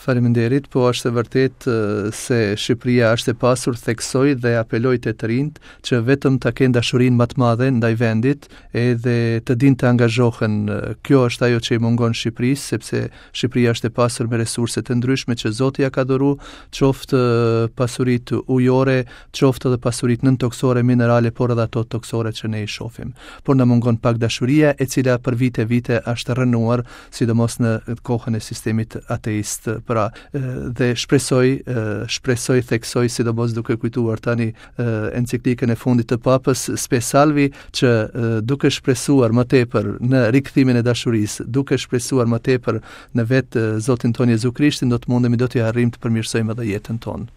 Faleminderit, po është e vërtetë se Shqipëria është e pasur, theksoj dhe apeloj te të rinjtë që vetëm ta kenë dashurinë më të madhe ndaj vendit edhe të dinë të angazhohen. Kjo është ajo që i mungon Shqipërisë, sepse Shqipëria është e pasur me resurse të ndryshme që Zoti ia ka dhuru, qoftë pasuritë ujore, qoftë edhe pasuritë nëntokësore, minerale, por edhe ato tokësore që ne i shohim. Por na mungon pak dashuria, e cila për vite vite është rrënuar, sidomos në kohën e sistemit ateist. Pra, dhe shpresoj, shpresoj, theksoj, sidomos duke kujtuar tani enciklikën e fundit të Papës Spe Salvi, që duke shpresuar më tepër në rikthimin e dashurisë, duke shpresuar më tepër në vetë Zotin tonë Jezu Krishtin, do të mundemi, do të arrijmë të përmirësojmë edhe jetën tonë.